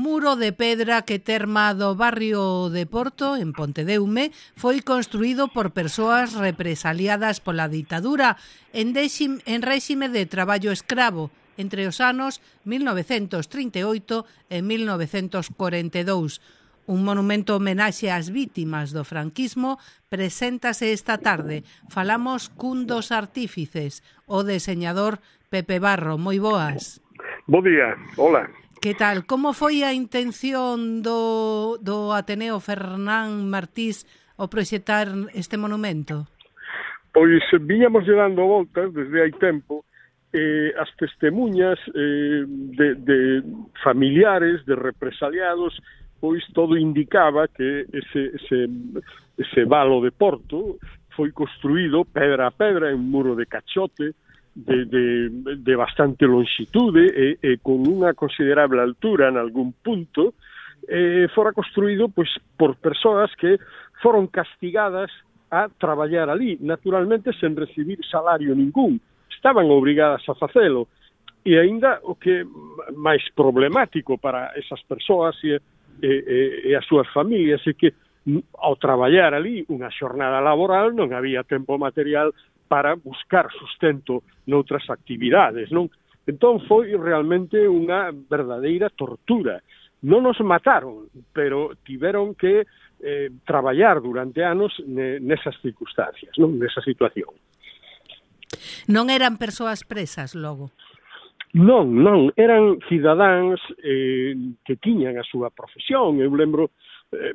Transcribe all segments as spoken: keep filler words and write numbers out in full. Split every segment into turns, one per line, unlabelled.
muro de pedra que terma do barrio de Porto, en Pontedeume, foi construído por persoas represaliadas pola ditadura en, déxim, en réxime de traballo escravo entre os anos mil novecentos trinta e oito e mil novecentos corenta e dous. Un monumento homenaxe ás vítimas do franquismo preséntase esta tarde. Falamos cun dos artífices, o deseñador Pepe Barro. Moi boas.
Bo día, hola.
Que tal? Como foi a intención do, do Ateneo Fernán Martís ao proxectar este monumento?
Pois viñamos dando voltas desde hai tempo eh, as testemunhas eh, de, de familiares, de represaliados, pois todo indicaba que ese, ese, ese valo de Porto foi construído pedra a pedra en un muro de cachote, De, de, de bastante longitude e, e con unha considerable altura en algún punto, eh, fora construído pois, por persoas que foron castigadas a traballar ali, naturalmente sen recibir salario ningún, estaban obrigadas a facelo, e aínda o que máis problemático para esas persoas e, e, e as súas familias é que ao traballar ali unha xornada laboral non había tempo material para buscar sustento noutras actividades, non? Entón foi realmente unha verdadeira tortura. Non nos mataron, pero tiveron que eh, traballar durante anos ne, nesas circunstancias, non? Nesa situación.
Non eran persoas presas, logo?
Non, non, eran cidadáns eh, que tiñan a súa profesión. Eu lembro, eh,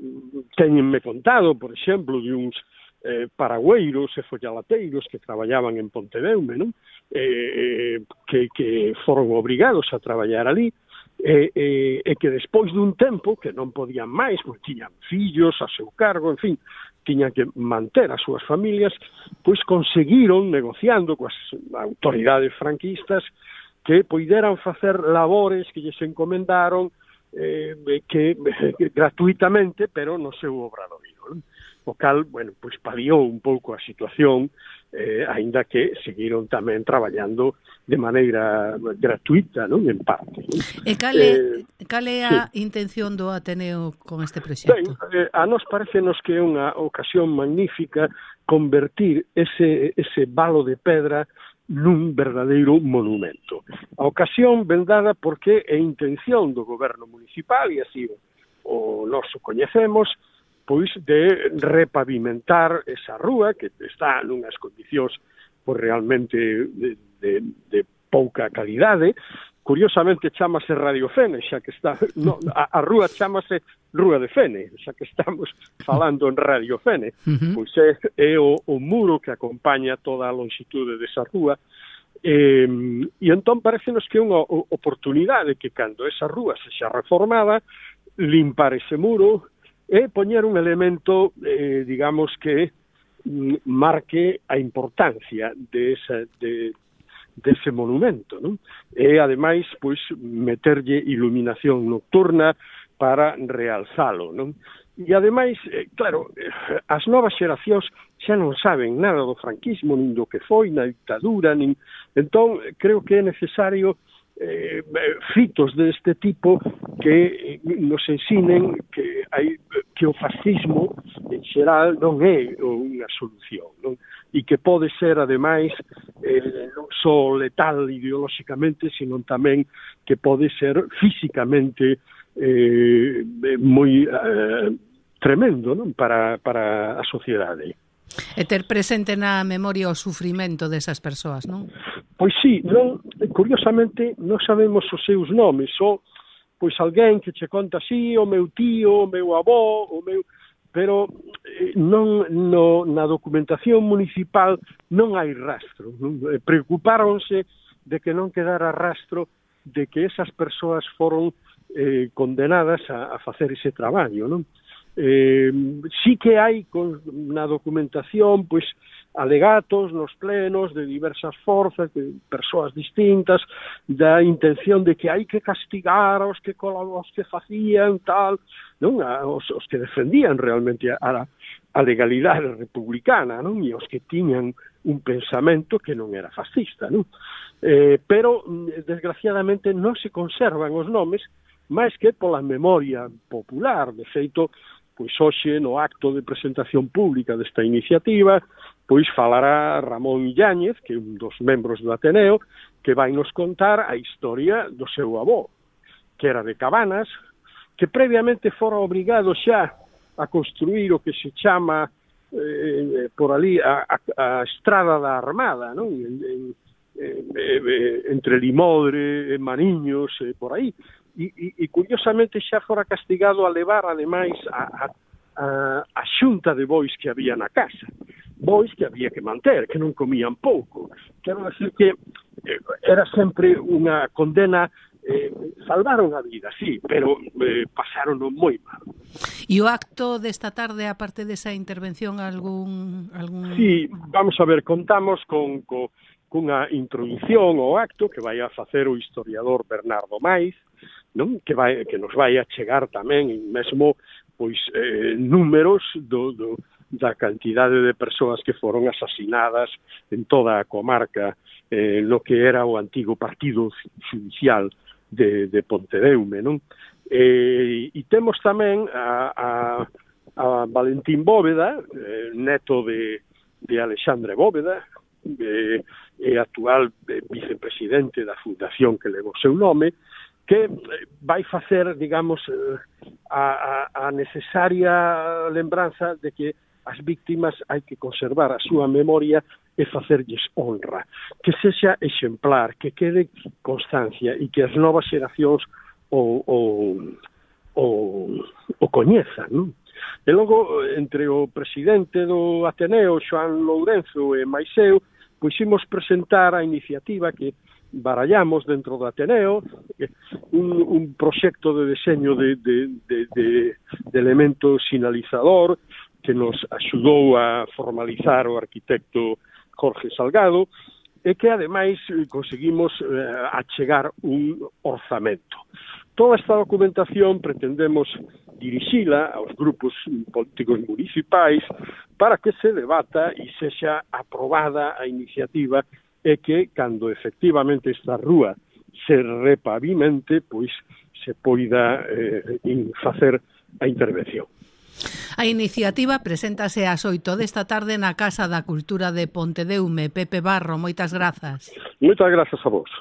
teñenme contado, por exemplo, de uns Eh, paragüeiros e follalateiros que traballaban en Pontedeume, non? Eh, que, que foron obrigados a traballar ali e, eh, e que despois dun tempo que non podían máis, pois tiñan fillos a seu cargo, en fin, tiñan que manter as súas familias, pois conseguiron, negociando coas autoridades franquistas, que poideran facer labores que lles encomendaron eh, que, que gratuitamente, pero no seu obradoiro, non? O cal, bueno, pois paliou un pouco a situación, eh, aínda que seguiron tamén traballando de maneira gratuita, non? En parte. Non?
E cal é, eh, cal é a sí. intención do Ateneo con este proxecto?
Ben, eh, a nos parecenos que é unha ocasión magnífica convertir ese, ese valo de pedra nun verdadeiro monumento. A ocasión ben dada porque é intención do goberno municipal, e así o noso coñecemos, pois de repavimentar esa rúa que está nunhas condicións pois realmente de, de, de pouca calidade. Curiosamente chámase Radio Fene, xa que está no, a, a rúa chámase Rúa de Fene, xa que estamos falando en Radio Fene. Uh-huh. Pois é, é o, o muro que acompaña toda a longitude desa rúa. Eh, e entón parecenos que é unha oportunidade que cando esa rúa sexa reformada, limpar ese muro e poñer un elemento, eh, digamos, que mm, marque a importancia de esa, de, de ese monumento, non? E, ademais, pois, meterlle iluminación nocturna para realzalo, non? E, ademais, eh, claro, as novas xeracións xa non saben nada do franquismo, nin do que foi, na dictadura, nin... Entón, creo que é necesario Eh, fitos deste tipo que nos ensinen que hai que o fascismo en xeral non é unha solución, non? E que pode ser ademais eh, non só letal ideolóxicamente, sino tamén que pode ser físicamente eh, moi eh, tremendo, non? Para, para a sociedade.
E ter presente na memoria o sufrimento desas persoas, non?
Pois sí, non, curiosamente non sabemos os seus nomes, só pois alguén que che conta así, o meu tío, o meu avó, o meu... pero eh, non no, na documentación municipal non hai rastro, non? Preocupáronse de que non quedara rastro de que esas persoas foron eh, condenadas a, a facer ese traballo, non? Eh, sí que hai con, na documentación pois alegatos nos plenos de diversas forzas, de persoas distintas, da intención de que hai que castigar aos que os que facían tal, non? Os, os que defendían realmente a, a legalidade republicana, non? E os que tiñan un pensamento que non era fascista, non? Eh, pero desgraciadamente non se conservan os nomes máis que pola memoria popular. De feito, pois hoxe no acto de presentación pública desta iniciativa, pois falará Ramón Yáñez, que é un dos membros do Ateneo, que vai nos contar a historia do seu avó, que era de Cabanas, que previamente fora obrigado xa a construir o que se chama eh, por ali a, a, a Estrada da Armada, non? En, en, en, entre Limodre, Maniños, eh, por aí. E, e, e curiosamente xa fora castigado a levar, ademais, a, a, a, a xunta de bois que había na casa. Bois que había que manter, que non comían pouco. Quero decir que eh, era sempre unha condena. Eh, salvaron a vida, sí, pero eh, pasaron moi mal.
E o acto desta tarde, aparte desa intervención, algún... algún...
Sí, vamos a ver, contamos con, con cunha introducción ao acto que vai a facer o historiador Bernardo Maiz, non? Que vai que nos vai a chegar tamén mesmo pois eh, números do, do da cantidade de persoas que foron asasinadas en toda a comarca, eh, no que era o antigo partido judicial de, de Pontedeume, non? E, e temos tamén a, a, a Valentín Bóveda, eh, neto de, de Alexandre Bóveda, eh, e actual eh, vicepresidente da fundación que leva o seu nome, que vai facer, digamos, a, a, a necesaria lembranza de que as víctimas hai que conservar a súa memoria e facerlles honra, que sexa exemplar, que quede constancia e que as novas xeracións o, o, o, o coñezan, non? E logo, entre o presidente do Ateneo, Xoán Lourenzo, e máis eu, pois imos presentar a iniciativa que barallamos dentro do Ateneo, un, un proxecto de deseño de, de, de, de, de elemento sinalizador que nos axudou a formalizar o arquitecto Jorge Salgado, e que ademais conseguimos eh, achegar un orzamento. Toda esta documentación pretendemos dirixila aos grupos políticos municipais para que se debata e sexa aprobada a iniciativa e que, cando efectivamente esta rúa se repavimente, pois se poida eh, facer a intervención.
A iniciativa preséntase ás oito desta tarde na Casa da Cultura de Pontedeume. Pepe Barro, moitas grazas.
Moitas grazas a vos.